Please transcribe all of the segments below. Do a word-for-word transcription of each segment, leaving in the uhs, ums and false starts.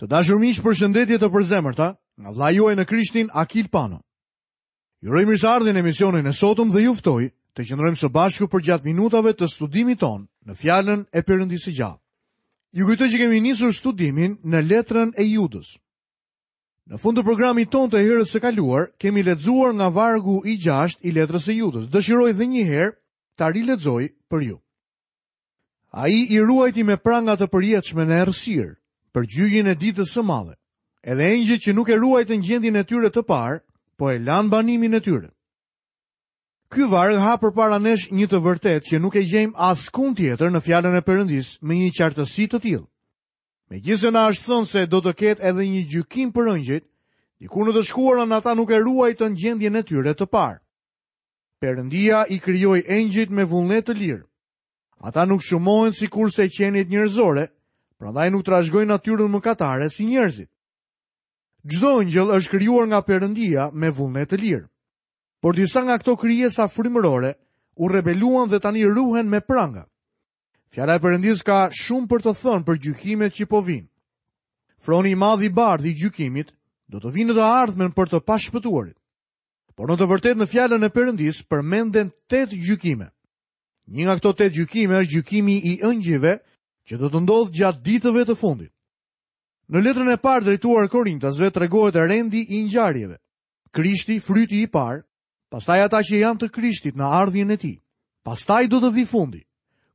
Të dashur miq, përshëndetje të përzemërta nga vëllai juaj në Krishtin Akil Pano. Ju uroj mirëseardhjen në emisionin e sotëm dhe ju ftoj të qëndrojmë së bashku përgjatë minutave të studimit tonë në fjalën e Perëndisë së gjallë. Ju kujtoj që kemi nisur studimin në letrën e Judës. Në fund të programit tonë të herës së kaluar, kemi lexuar nga vargu i gjashtë i letrës së Judës. Dëshiroj edhe një herë ta rilexoj për ju. Ai i ruajti me pranga të përjetshme në errësirë, për gjyqin e ditës së madhe. Edhe engjëjt që nuk e ruajtën gjendjen e tyre të parë, po e lanë banimin e tyre. Ky varg hap përpara nesh një të vërtetë që nuk e gjejmë askund tjetër në fjalën e Perëndisë me një qartësi të tillë. Megjithëse na është thënë se do të ketë edhe një gjykim për engjëjt, diku në të shkuarën ata nuk e ruajtën gjendjen e tyre të parë. Perëndia i krijoi engjëjt me vullnet të lirë. Ata nuk shumohen sikurse qeniet njerëzore, prandaj nuk trashëgojnë natyrën mëkatare si njerëzit. Çdo engjëll është krijuar nga Perëndia me vullnet të lirë. Por disa nga këto krijesa frymërore u rebeluan dhe tani ruhen me pranga. Fjala e Perëndisë ka shumë për të thënë për gjykimet që po vijnë. Froni i madh i bardhë i gjykimit do të vinë në të ardhmen për të pashpëtuarit. Por në të vërtetë në fjalën e Perëndisë përmenden tetë gjykime. Një nga këto tetë gjykime është gjykimi i engjëjve që do të ndodhë gjatë ditëve të fundit. Në letrën e parë drejtuar Korintasve tregohet rendi i ngjarjeve. Krishti, fryti i parë, pastaj ata që janë të Krishtit në ardhjen e tij. Pastaj do të vi fundi,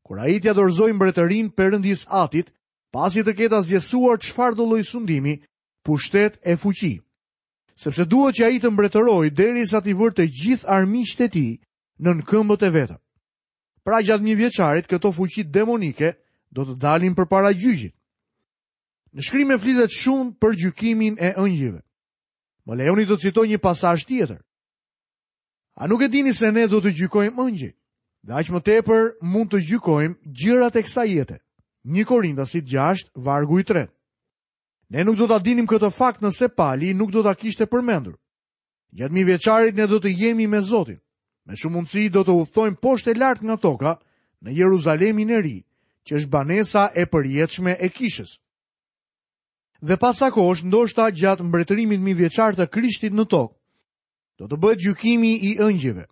kur ai t'ia dorëzojë mbretërinë Perëndis Atit, pasi të ketë asgjësuar çfarëdo lloj sundimi, pushtet e fuqi. Sepse duhet që ai të mbretërojë derisa t'i vërë të gjithë armiqtë e tij nën këmbët e veta. Pra gjatë një vjeçarit këto fuqi demonike do të dalin përpara gjyqit. Në shkrime flitet shumë për gjykimin e engjëjve. Më lejoni të citoj një pasazh tjetër. A nuk e dini se ne do të gjykojmë engjëjt? Dhe aq më tepër mund të gjykojmë gjërat e kësaj jete. Një Korintasit gjashtë, vargu i tretë. Ne nuk do ta dinim këtë fakt nëse Pali nuk do ta kishte përmendur. Gjatë mijëvjeçarit ne do të jemi me Zotin. Me shumë mundësi do të udhtojmë poshtë e lart nga toka në Jeruzalemin e ri, që është banesa e përjetshme e kishës. Dhe pas sa kohësh, ndoshta gjatë mbretërimit mijëvjeçar të Krishtit në tokë, do të bëhet gjykimi i engjëjve.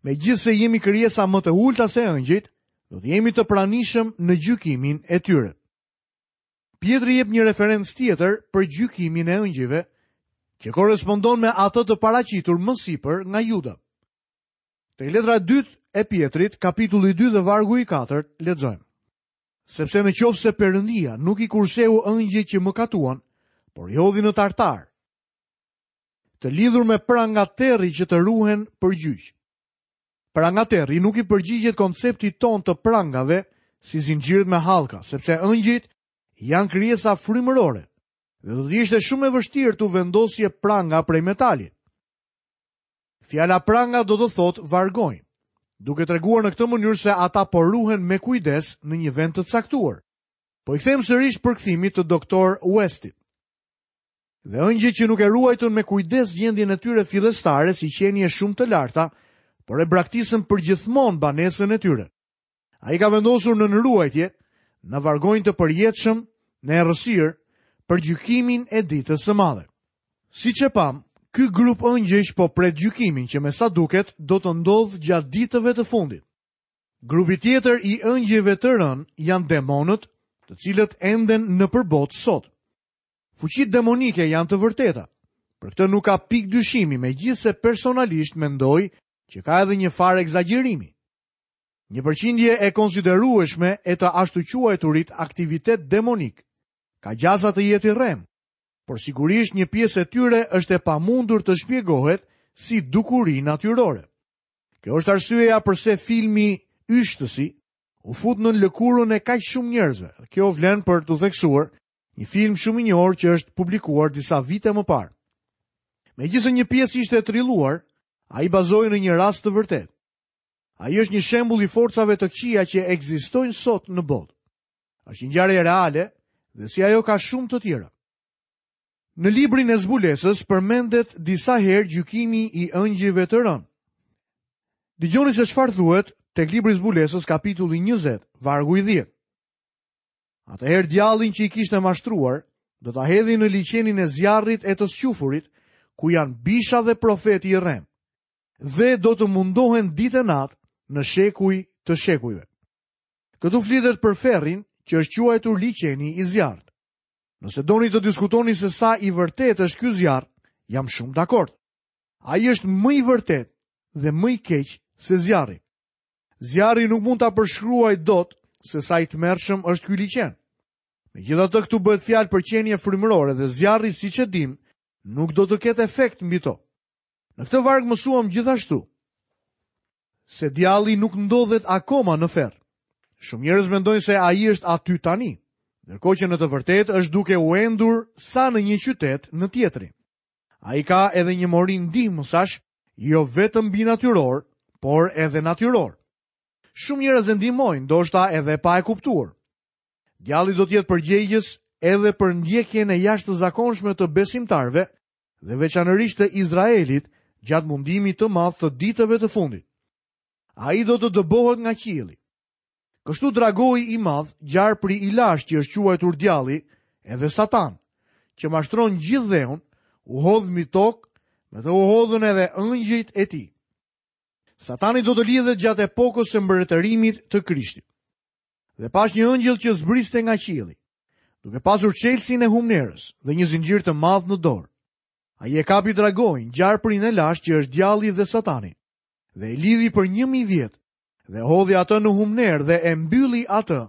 Megjithëse jemi krijesa më të ulta se engjëjt, do të jemi të pranishëm në gjykimin e tyre. Pjetri jep një referencë tjetër për gjykimin e engjëjve, që korrespondon me atë të paraqitur më sipër nga Juda. Te letra e dytë e Pjetrit, kapitulli dy dhe vargu i katërt, lexojmë. Sepse në qoftë se Perëndia nuk i kurseu engjëjt që mëkatuan, por i hodhi në tartar, të lidhur me pranga terri që të ruhen për gjyq. Pranga terri nuk i përgjigjet konceptit ton të prangave si zinxhirët me hallka, sepse engjëjt janë krijesa frymërore dhe do të ishte shumë e vështirë t'u vendosje pranga prej metali. Fjala pranga do të thotë vargonj, duke treguar në këtë mënyrë se ata po ruhen me kujdes në një vend të caktuar. Po i kthejmë sërish përkthimit të doktor Westit. Dhe engjëjt që nuk e ruajtën me kujdes gjendjen e tyre fillestare si qenie shumë të larta, por e braktisën përgjithmonë banesën e tyre. Ai ka vendosur në ruajtje, në vargonj të përjetshëm, në errësirë, për gjykimin e ditës së madhe. Siç e pam, ky grup engjëjsh po pret gjykimin që me sa duket do të ndodhë gjatë ditëve të fundit. Grupi tjetër i engjëjve të rënë janë demonët, të cilët enden nëpër botë sot. Fuqitë demonike janë të vërteta. Për këtë nuk ka pikë dyshimi, megjithëse personalisht mendoj që ka edhe një farë egzagjerimi. Një përqindje e konsiderueshme e të ashtuquajturit aktivitet demonik ka gjasa të jetë i rrem, por sigurisht një pjesë e tyre është e pamundur të shpjegohet si dukuri natyrore. Kjo është arsyeja përse filmi Yshtësi u fut në lëkurën e kaq shumë njerëzve. Kjo vlen për t'u theksuar, një film shumë i njohur që është publikuar disa vite më parë. Megjithëse një pjesë ishte e trilluar, ai bazohej në një rast të vërtetë. Ai është një shembull i forcave të këqija që ekzistojnë sot në botë. Është një ngjarje reale dhe si ajo ka shumë të tjera. Në librin e zbulesës përmendet disa herë gjykimi i engjëjve të rënë. Dëgjoni se çfarë thuhet tek libri i zbulesës kapitulli njëzet, vargu i dhjetë. Atëherë djallin që i kishte mashtruar, do ta hedhin në liqenin e zjarrit e të squfurit, ku janë bisha dhe profeti i rrem, dhe do të mundohen ditë e natë në shekuj të shekujve. Këtu flitet për ferrin që është quajtur liqeni i zjarrit. Nëse doni të diskutoni se sa i vërtetë është ky zjarr, jam shumë dakord. Ai është më i vërtetë dhe më i keq se zjarri. Zjarri nuk mund ta përshkruaj dot se sa i tmerrshëm është ky liqen. Megjithatë këtu bëhet fjalë për qenie frymërore dhe zjarri, siç e dim, nuk do të ketë efekt mbi to. Në këtë varg mësuam gjithashtu se djalli nuk ndodhet akoma në ferr. Shumë njerëz mendojnë se ai është aty tani, ndërkohë që në të vërtetë është duke u endur sa në një qytet në tjetrin. Ai ka edhe një mori ndihmësash, jo vetëm binatyror, por edhe natyror. Shumë njerëz e ndihmojnë, ndoshta edhe pa e kuptuar. Djalli do të jetë përgjegjës edhe për ndjekjen e jashtëzakonshme të besimtarëve dhe veçanërisht të Izraelit gjatë mundimit të madh të ditëve të fundit. Ai do të dëbohet nga qielli. Kështu dragoi i madh, gjarpri i lashtë që është quajtur djalli, edhe Satan, që mashtron gjithë dheun, u hodh mbi tokë, me të u hodhën edhe ëngjëjt e tij. Satani do të lidhet gjatë epokës së mbretërimit të Krishtit. Dhe pash një ëngjëll që zbriste nga qielli, duke pasur çelësin e humnerës dhe një zinxhir të madh në dorë. Ai e kapi dragoin, gjarprin e lashtë që është djalli dhe Satani, dhe e lidhi për një mijë vjet, dhe hodhi atë në humnerë dhe e mbylli atë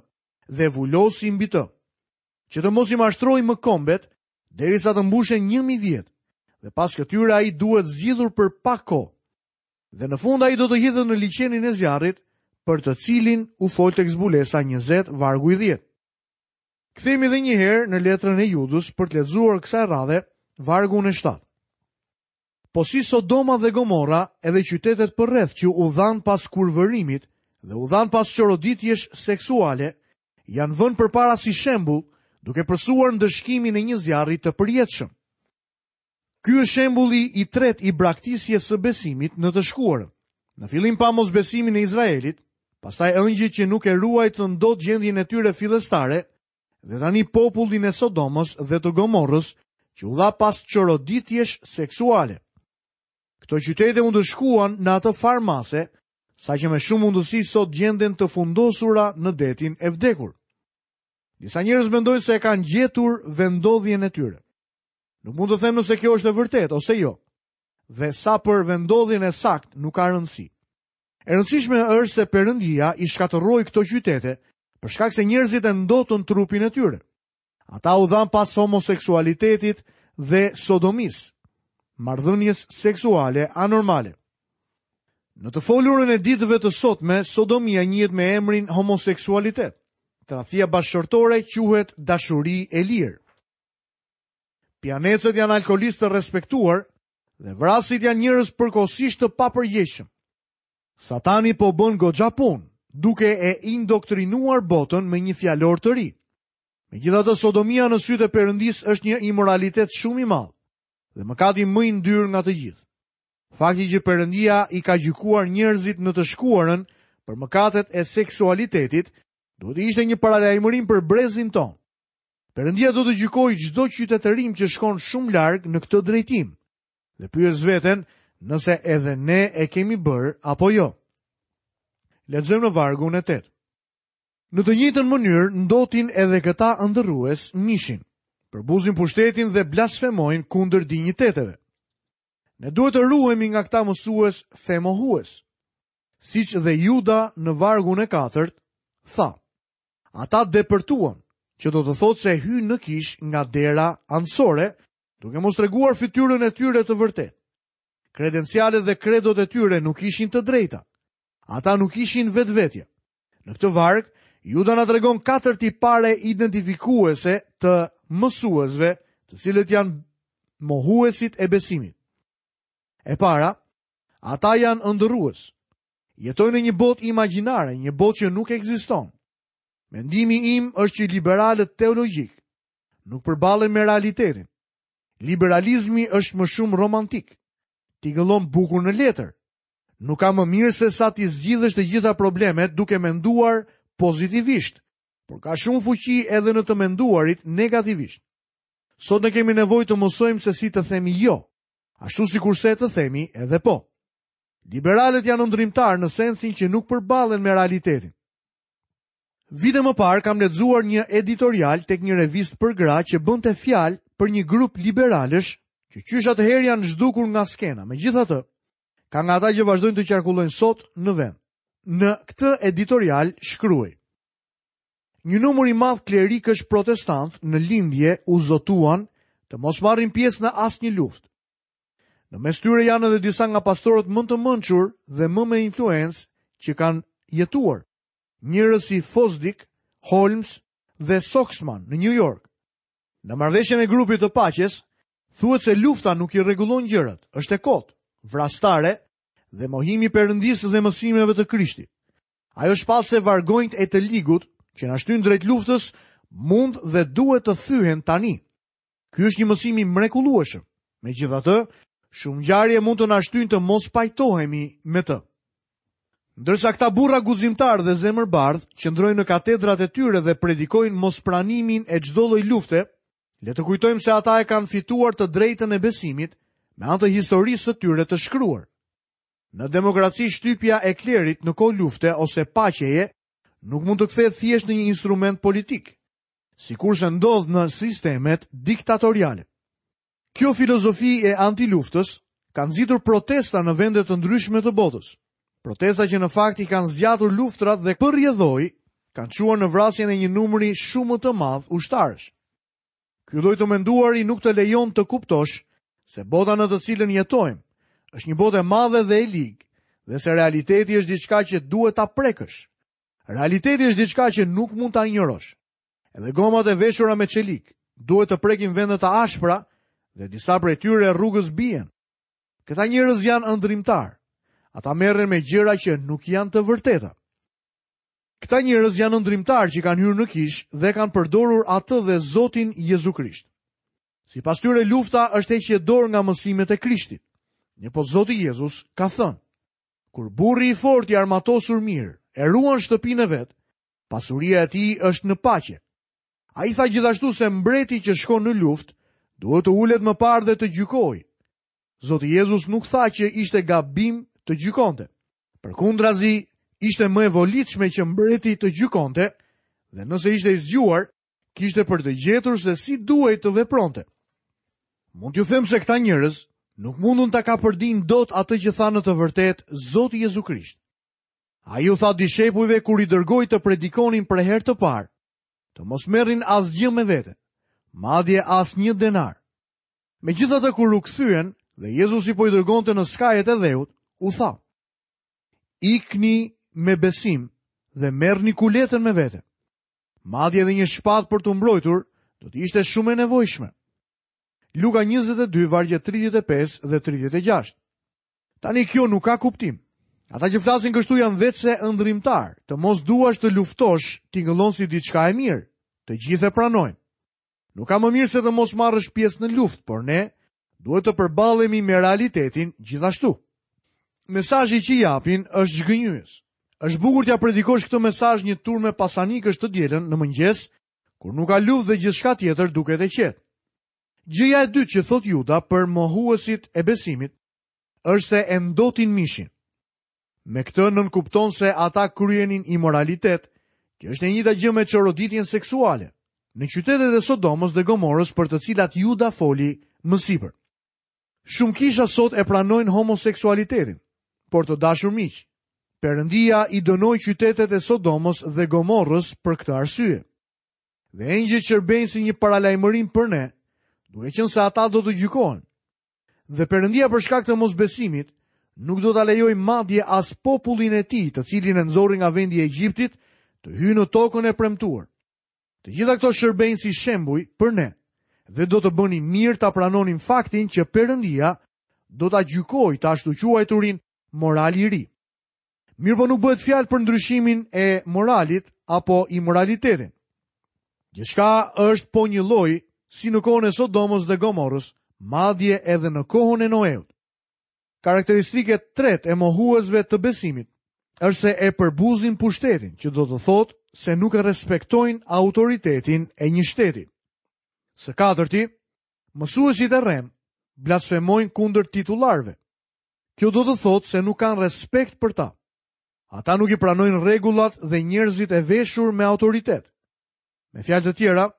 dhe vulosi mbi të, që të mos i mashtrojë më kombet derisa të mbushen një mijë vjet, dhe pas këtyre ai duhet zgjidhur për pak kohë. Dhe në fund ai do të hidhet në liqenin e zjarrit, për të cilin u fol tek zbulesa njëzet vargu i dhjetë. Kthehemi edhe një herë në letrën e Judës për të lexuar kësaj radhe vargun e shtatë. Po si Sodoma dhe Gomorra, edhe qytetet përreth që u dhanë pas kurvërimit dhe u dhanë pas çoroditjesh seksuale, janë vënë përpara si shembull, duke përsuar ndëshkimin e një zjarri të përjetshëm. Ky është shembulli i tretë i braktisjes së besimit në të shkuarën. Në fillim pa mosbesimin e Izraelit, pastaj ëngjëjt që nuk e ruajtën dot gjendjen e tyre fillestare, dhe tani popullin e Sodomës dhe të Gomorrës, që u dha pas çoroditjesh seksuale. Këto qytete u ndëshkuan në atë farë mase, saqë me shumë mundësi sot gjenden të fundosura në detin e vdekur. Disa njerëz mendojnë se e kanë gjetur vendodhjen e tyre. Nuk mund të them nëse kjo është e vërtetë ose jo. Dhe sa për vendodhjen e saktë nuk ka rëndësi. E rëndësishme është se Perëndia i shkatërroi këto qytete për shkak se njerëzit e ndotën trupin e tyre. Ata u dhanë pas homoseksualitetit dhe sodomisë, marrëdhënies seksuale anormale. Në të folurën e ditëve të sotme, sodomia njihet me emrin homoseksualitet. Tradhtia bashkëshortore quhet dashuri e lirë. Pijanecët janë alkoholistë të respektuar dhe vrasit janë njerëz përkohësisht të papërgjegjshëm. Satani po bën goxha punë, duke e indoktrinuar botën me një fjalor të ri. Megjithatë, sodomia në sytë e Perëndisë është një imoralitet shumë i madh dhe mëkati më i ndyrë nga të gjithë. Fakti që Perëndia i ka gjykuar njerëzit në të shkuarën për mëkatet e seksualitetit, duhet të ishte një paralajmërim për brezin tonë. Perëndia do të gjykojë çdo qytetërim që shkon shumë larg në këtë drejtim. Dhe pyes veten nëse edhe ne e kemi bërë apo jo. Lexojmë në vargun e tetë. Në të njëjtën mënyrë ndotin edhe këta ëndërrues mishin, përbuzin pushtetin dhe blasfemojnë kundër dinjiteteve. Ne duhet të ruhemi nga këta mësues femohues. Siç dhe Juda në vargun e katërt tha: Ata depërtuan, që do të thotë se hynë në kish nga dera anësore, duke mos treguar fytyrën e tyre të vërtetë. Kredencialet dhe kredot e tyre nuk ishin të drejta. Ata nuk ishin vetvetja. Në këtë varg, Juda na tregon katër tipare identifikuese të mësuesve, të cilët janë mohuesit e besimit. E para, ata janë ëndërrues. Jetojnë në një botë imagjinare, një botë që nuk ekziston. Mendimi im është që liberalët teologjik nuk përballen me realitetin. Liberalizmi është më shumë romantik. Tingëllon bukur në letër. Nuk ka më mirë se sa t'i zgjidhësh të gjitha problemet duke menduar pozitivisht, por ka shumë fuqi edhe në të menduarit negativisht. Sot ne kemi nevojë të mësojmë se si të themi jo, ashtu sikurse të themi edhe po. Liberalët janë ëndrrimtar në sensin që nuk përballen me realitetin. Vite më parë kam lexuar një editorial tek një revistë për gra që bënte fjalë për një grup liberalësh që qysh atëherë janë zhdukur nga skena. Megjithatë, ka nga ata që vazhdojnë të qarkullojnë sot në vend. Në këtë editorial shkruaj: Një numër i madh klerikësh protestant në lindje u zotuan të mos marrin pjesë në asnjë luftë. Në mes tyre janë edhe disa nga pastorët më të mençur dhe më me influencë që kanë jetuar. Njerëz si Fosdick, Holmes dhe Soxman në New York. Në marrëveshjen e grupit të paqes, thuhet se lufta nuk i rregullon gjërat, është e kotë, vrastare dhe mohimi i Perëndisë dhe mësimeve të Krishtit. Ajo shpall se vargonjt e të ligut që na shtyn drejt luftës mund dhe duhet të thyhen tani. Ky është një mësim i mrekullueshëm. Megjithatë, shumë ngjarje mund të na shtyjnë të mos pajtohemi me të. Ndërsa këta burra guximtar dhe zemërbardh qëndrojnë në katedrat e tyre dhe predikojnë mospranimin e çdo lloj lufte, le të kujtojmë se ata e kanë fituar të drejtën e besimit me anë të historisë së tyre të shkruar. Në demokraci shtypja e klerit në kohë lufte ose paqeje nuk mund të kthehet thjesht në një instrument politik, sikurse ndodh në sistemet diktatoriale. Kjo filozofi e antiluftës ka nxitur protesta në vende të ndryshme të botës. Protesta që në fakt i kanë zgjatur luftrat dhe për rrjedhojë kanë çuar në vrasjen e një numri shumë të madh ushtarësh. Ky lloj të menduari nuk të lejon të kuptosh se bota në të cilën jetojmë është një botë e madhe dhe e ligë, dhe se realiteti është diçka që duhet ta prekësh. Realiteti është diçka që nuk mund ta injorosh. Edhe gomat e veshura me çelik duhet të prekin vende të ashpra dhe disa prej tyre rrugës bien. Këta njerëz janë ëndrrimtar. Ata merren me gjëra që nuk janë të vërteta. Këta njerëz janë ëndrrimtar që kanë hyrë në kishë dhe kanë përdorur atë dhe Zotin Jezu Krisht. Sipas tyre lufta është heqje dorë nga mësimet e Krishtit. Mirëpo Zoti Jezus ka thënë: Kur burri i fortë i armatosur mirë e ruan shtëpinë e vet, pasuria e tij është në paqe. Ai tha gjithashtu se mbreti që shkon në luftë duhet të ulet më parë dhe të gjykojë. Zoti Jezus nuk tha që ishte gabim të gjykonte. Përkundrazi, ishte më e volitshme që mbreti të gjykonte dhe nëse ishte i zgjuar, kishte për të gjetur se si duhej të vepronte. Mund t'ju them se këta njerëz nuk mundun ta kapërdin dot atë që tha në të vërtetë Zoti Jezu Krisht. Ai u tha dishepujve kur i dërgoi të predikonin për herë të parë, të mos merrin asgjë me vete, madje asnjë denar. Megjithatë kur u kthyen dhe Jezusi po i dërgonte në skajet e dheut, u tha: Ikni me besim dhe merrni kuletën me vete. Madje edhe një shpatë për t'u mbrojtur do të ishte shumë e nevojshme. Luka njëzet e dy, vargje tridhjetë e pesë dhe tridhjetë e gjashtë. Tani kjo nuk ka kuptim. Ata që flasin kështu janë veçse ëndrrimtar. Të mos duash të luftosh tingëllon si diçka e mirë. Të gjithë e pranojnë. Nuk ka më mirë se të mos marrësh pjesë në luftë, por ne duhet të përballemi me realitetin gjithashtu. Mesazhi që japin është zhgënjyes. Është bukur t'ja predikosh këtë mesazh një turme pasanikësh të dielën në mëngjes, kur nuk ka luftë dhe gjithçka tjetër duket e qetë. Gjëja e dytë që thot Juda për mohuesit e besimit është se e ndotin mishin. Me këtë nënkupton se ata kryenin imoralitet, që është e njëjta gjë me çoroditjen seksuale, në qytetet e Sodomës dhe Gomorës për të cilat Juda foli më sipër. Shumë kisha sot e pranojnë homoseksualitetin, por të dashur miq, Perëndia i dënoi qytetet e Sodomës dhe Gomorrës për këtë arsye. Dhe engjëjt shërbejnë si një paralajmërim për ne, duke qenë se ata do të gjykohen. Dhe Perëndia për shkak të mosbesimit nuk do ta lejojë madje as popullin e tij, të cilin e nxori nga vendi i Egjiptit, të hyjë në tokën e premtuar. Të gjitha këto shërbejnë si shembuj për ne dhe do të bënin mirë ta pranonin faktin që Perëndia do ta gjykojë të ashtu quajturin moral i ri. Mirë po nuk bëhet fjalë për ndryshimin e moralit apo imoralitetin. Gjithçka është po një lloj si në kohën e Sodomës dhe Gomorrës, madje edhe në kohën e Noeut. Karakteristikë e tretë e mohuesve të besimit është se e përbuzin pushtetin, që do të thotë se nuk e respektojnë autoritetin e një shteti. Së katërti, Mësuesit e rremë blasfemojnë kundër titullarëve. Kjo do të thotë se nuk kanë respekt për ta. Ata nuk i pranojnë rregullat dhe njerëzit e veshur me autoritet. Me fjalë të tjera,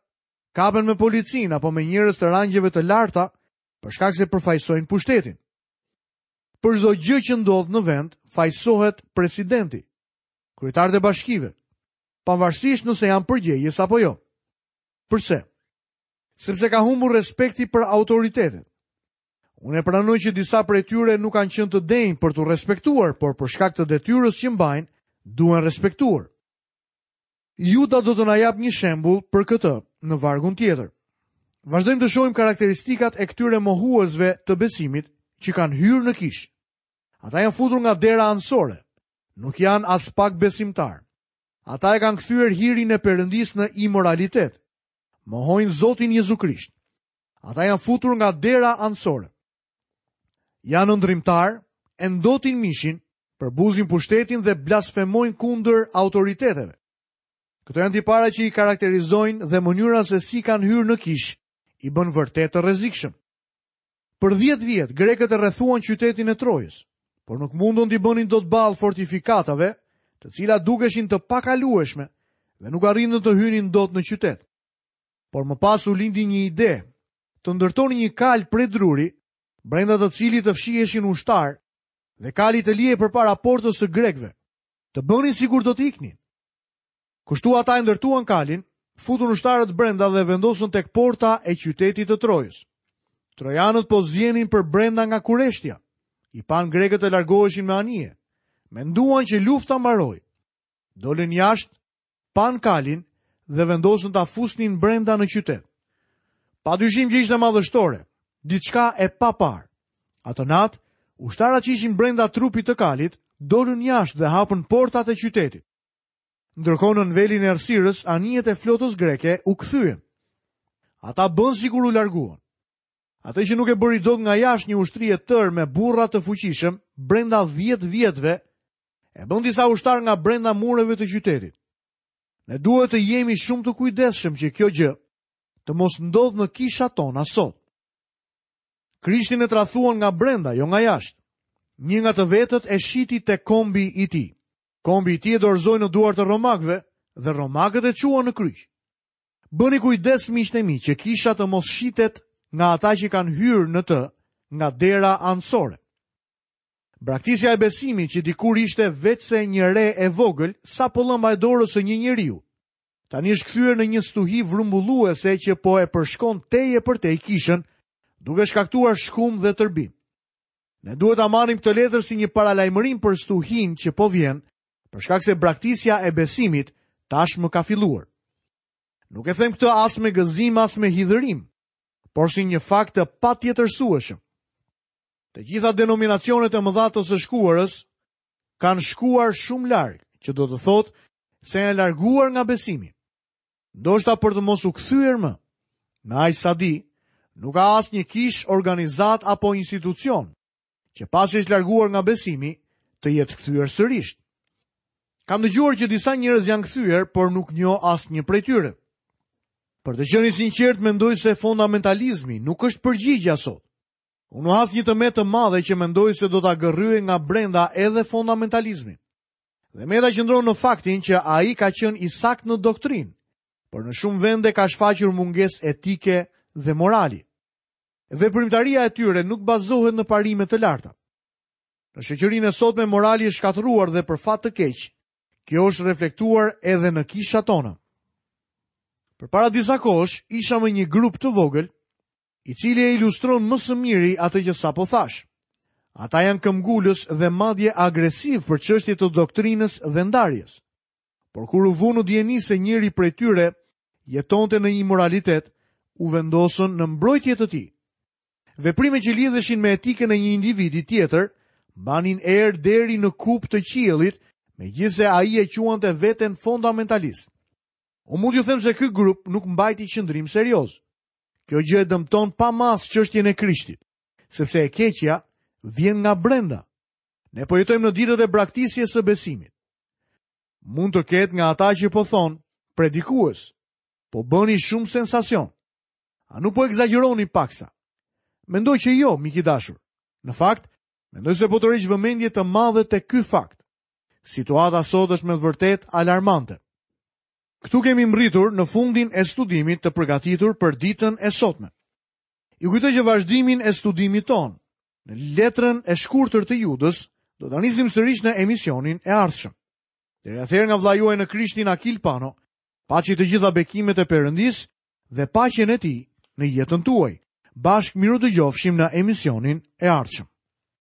kapen me policinë apo me njerëz të rangjeve të larta për shkak se përfaqësojnë pushtetin. Për çdo gjë që ndodh në vend, fajësohet presidenti, kryetarët e bashkive, pavarësisht nëse janë përgjegjës apo jo. Përse? Sepse ka humbur respekti për autoritetet. Unë e pranoj që disa prej tyre nuk kanë qenë të denjë për t'u respektuar, por për shkak të detyrës që mbajnë, duhen respektuar. Juda do të na jap një shembull për këtë në vargun tjetër. Vazhdojmë të shohim karakteristikat e këtyre mohuesve të besimit që kanë hyrë në kishë. Ata janë futur nga dera anësore, nuk janë aspak besimtarë. Ata e kanë kthyer hirin e Perëndisë në imoralitet. Mohojnë Zotin Jezu Krisht. Ata janë futur nga dera anësore. Janë ëndrrimtarë, e ndotin mishin, përbuzin pushtetin dhe blasfemojnë kundër autoriteteve. Këto janë tipare që i karakterizojnë dhe mënyra se si kanë hyrë në kishë i bën vërtet të rrezikshëm. Për dhjetë vjet grekët e rrethuan qytetin e Trojës, por nuk mundën t'i bënin dot ballë fortifikatave, të cilat dukeshin të pakalueshme dhe nuk arritën të hynin dot në qytet. Por më pas u lindi një ide, të ndërtonin një kalë prej druri, brenda të cilit të fshiheshin ushtar dhe kali të lihej përpara portës së grekëve, të bënin sikur do të iknin. Kështu ata e ndërtuan kalin, futën ushtarët brenda dhe vendosën tek porta e qytetit të Trojës. Trojanët po zjenin për brenda nga kureshtja. I panë grekët të largoheshin me anije. Menduan që lufta mbaroi. Dolën jashtë, panë kalin dhe vendosën ta fusnin brenda në qytet. Pa dyshim që ishte madhështore, diçka e paparë. Atë natë, ushtarët që ishin brenda trupit të kalit, dolën jashtë dhe hapën portat e qytetit. Ndërkohë në velin e errësirës, anijet e flotës greke u kthyen. Ata bën sikur u larguan. Atë që nuk e bëri dot nga jashtë një ushtri e tërë me burra të fuqishëm brenda dhjetë vjetëve, e bën disa ushtar nga brenda mureve të qytetit. Ne duhet të jemi shumë të kujdesshëm që kjo gjë të mos ndodhë në kishat tona sot. Krishtin e tradhuan nga brenda, jo nga jashtë. Një nga të vetët e shiti te kombi i tij. Kombi i tij e dorëzoi në duart e romakëve dhe romakët e çuan në kryq. Bëni kujdes miqtë e mi që kisha të mos shitet nga ata që kanë hyrë në të nga dera anësore. Braktisja e besimit që dikur ishte veçse një re e vogël, sa pëllëmba e dorës së një njeriu, tani është kthyer në një stuhi vrumbulluese që po e përshkon tej e përtej kishën, duke shkaktuar shkum dhe tërbim. Ne duhet ta marrim këtë letër si një paralajmërim për stuhinë që po vjen, për shkak se braktisja e besimit tashmë ka filluar. Nuk e them këtë as me gëzim, as me hidhërim, por si një fakt të patjetërsueshëm. Të gjitha denominacionet e mëdha të së shkuarës kanë shkuar shumë larg, që do të thotë se janë larguar nga besimi. Ndoshta për të mos u kthyer më. Me aq sa di, nuk ka asnjë kish, organizat apo institucion që pasi është larguar nga besimi, të jetë kthyer sërish. Kam dëgjuar që disa njerëz janë kthyer, por nuk njoh asnjë prej tyre. Për të qenë i sinqert, mendoj se fundamentalizmi nuk është përgjigjja sot. Unë has një të metë të madhe që mendoj se do ta gërryej nga brenda edhe fundamentalizmin. Dhe meta qëndron në faktin që ai ka qenë i saktë në doktrinë, por në shumë vende ka shfaqur mungesë etike dhe morali. Veprimtaria e tyre nuk bazohet në parime të larta. Në shoqërinë e sotme morali është shkatërruar dhe për fat të keq, kjo është reflektuar edhe në kishat tona. Përpara disa kohësh isha me një grup të vogël, i cili e ilustron më së miri atë që sapo thash. Ata janë këmbgulës dhe madje agresiv për çështje të doktrinës dhe ndarjes. Por kur u vu në dijeni se njëri prej tyre jetonte në imoralitet, u vendosën në mbrojtje të tij. Veprime që lidheshin me etikën e një individi tjetër mbanin erë deri në kupë të qiellit, megjithëse ai e quante veten fundamentalist. Unë mund t'ju them se ky grup nuk mbajti qëndrim serioz. Kjo gjë e dëmton pa masë çështjen e Krishtit, sepse e keqja vjen nga brenda. Ne po jetojmë në ditët e braktisjes së besimit. Mund të ketë nga ata që po thonë, predikues, po bëni shumë sensacion. A nuk po ekzagjeroni paksa? Mendoj që jo, mik i dashur. Në fakt, mendoj se po tërheq vëmendje të madhe te ky fakt. Situata sot është me të vërtetë alarmante. Këtu kemi mbërritur në fundin e studimit të përgatitur për ditën e sotme. Ju kujtoj që vazhdimin e studimit tonë në letrën e shkurtër të Judës do ta nisim sërish në emisionin e ardhshëm. Deri atëherë nga vëllai juaj në Krishtin Akil Pano, paçi të gjitha bekimet e Perëndisë dhe paqen e tij në jetën tuaj. Bashkë mirudëgjofshim në emisionin e ardhshëm.